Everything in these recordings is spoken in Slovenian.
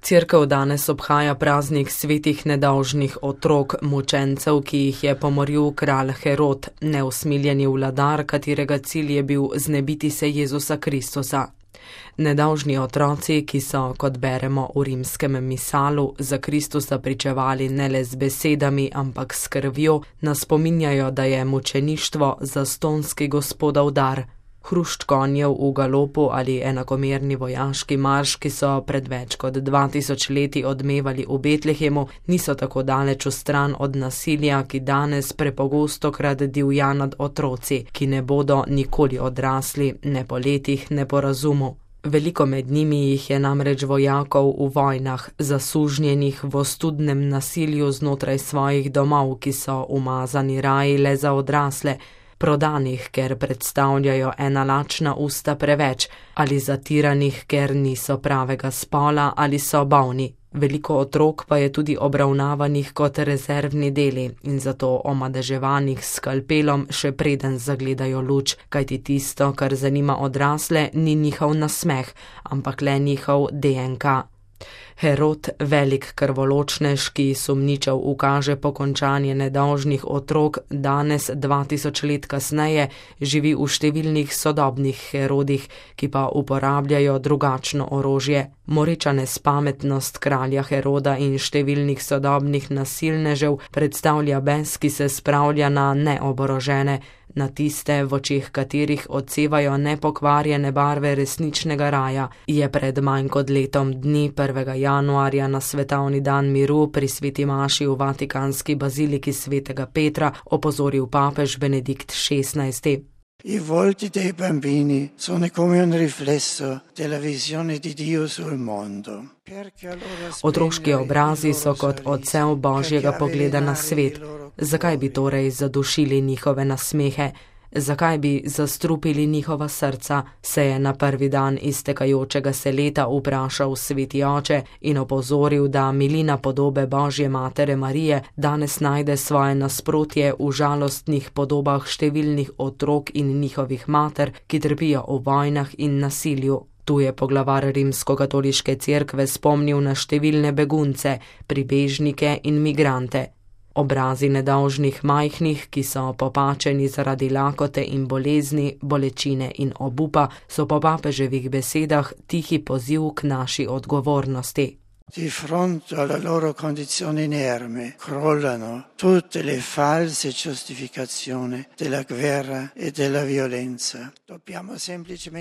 Cerkev danes obhaja praznik svetih nedolžnih otrok, mučencev, ki jih je pomoril kralj Herod, neusmiljeni vladar, katerega cilj je bil znebiti se Jezusa Kristusa. Nedolžni otroci, ki so, kot beremo v rimskem misalu, za Kristusa pričevali ne le z besedami, ampak s krvjo, nas spominjajo, da je mučeništvo zastonski Gospodov dar. Hrušč konjev v galopu ali enakomerni vojaški marš, ki so pred več kot 2000 leti odmevali v Betlehemu, niso tako daleč vstran od nasilja, ki danes prepogostokrat divja nad otroci, ki ne bodo nikoli odrasli, ne po letih, ne po razumu. Veliko med njimi jih je namreč vojakov v vojnah, zasužnjenih v ostudnem nasilju znotraj svojih domov, ki so umazani raji le za odrasle, prodanih, ker predstavljajo ena lačna usta preveč, ali zatiranih, ker niso pravega spola ali so bolni. Veliko otrok pa je tudi obravnavanih kot rezervni deli in zato omadeževanih s skalpelom še preden zagledajo luč, kajti tisto, kar zanima odrasle, ni njihov nasmeh, ampak le njihov DNK. Herod, velik krvoločnež, ki sumničav ukaže pokončanje nedolžnih otrok, danes 2000 let kasneje živi v številnih sodobnih Herodih, ki pa uporabljajo drugačno orožje. Moreča nespametnost kralja Heroda in številnih sodobnih nasilnežev predstavlja bes, ki se spravlja na neoborožene, na tiste, v očeh katerih odsevajo nepokvarjene barve resničnega raja, je pred manj kot letom dni 1. januarja na svetovni dan miru pri sveti maši v Vatikanski baziliki svetega Petra opozoril papež Benedikt XVI. I volti dei bambini sono come un riflesso della visione di Dio sul mondo. Otroški obrazi so kot odsev Božjega pogleda na svet. Zakaj bi torej zadušili njihove nasmehe? Zakaj bi zastrupili njihova srca, se je na prvi dan iztekajočega se leta vprašal sveti oče in opozoril, da milina podobe Božje matere Marije danes najde svoje nasprotje v žalostnih podobah številnih otrok in njihovih mater, ki trpijo v vojnah in nasilju. Tu je poglavar Rimskokatoliške cerkve spomnil na številne begunce, pribežnike in migrante. Obrazi nedolžnih majhnih, ki so popačeni zaradi lakote in bolezni, bolečine in obupa, so po papeževih besedah tihi poziv k naši odgovornosti. Di fronte alla loro condizione inerme crollano tutte le false giustificazioni della guerra e della violenza.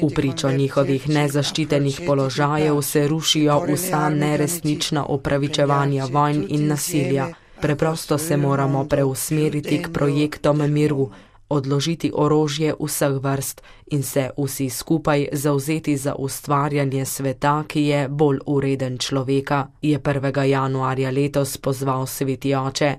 V pričo njihovih nezaščitenih položajev se rušijo vsa neresnična opravičevanja vojn in nasilja. Preprosto se moramo preusmeriti k projektom miru, odložiti orožje vseh vrst in se vsi skupaj zavzeti za ustvarjanje sveta, ki je bolj ureden človeka, je 1. januarja letos pozval sveti oče.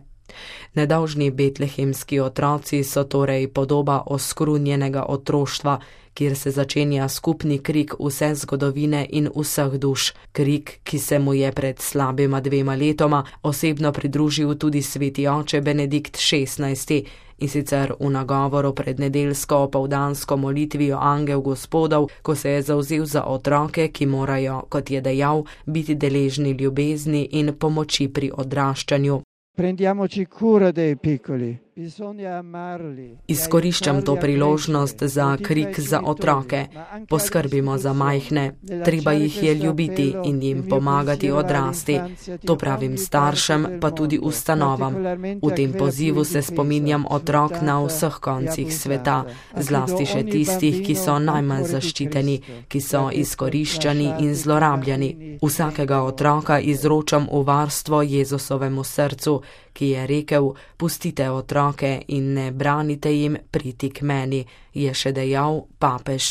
Nedolžni betlehemski otroci so torej podoba oskrunjenega otroštva, kjer se začenja skupni krik vse zgodovine in vseh duš, krik, ki se mu je pred slabima 2 letoma osebno pridružil tudi sveti oče Benedikt XVI, in sicer v nagovoru pred nedeljsko opoldansko molitvijo Angel Gospodov, ko se je zavzel za otroke, ki morajo, kot je dejal, biti deležni ljubezni in pomoči pri odraščanju. Prendiamoci cura dei piccoli. Bisogna amarli. Izkoriščam to priložnost za krik za otroke. Poskrbimo za majhne, treba jih je ljubiti in jim pomagati odrasti. To pravim staršem, pa tudi ustanovam. V tem pozivu se spominjam otrok na vseh koncih sveta, zlasti še tistih, ki so najmanj zaščiteni, ki so izkoriščani in zlorabljani. Vsakega otroka izročam v varstvo Jezusovemu srcu, ki je rekel, pustite otroke in ne branite jim priti k meni, je še dejal papež.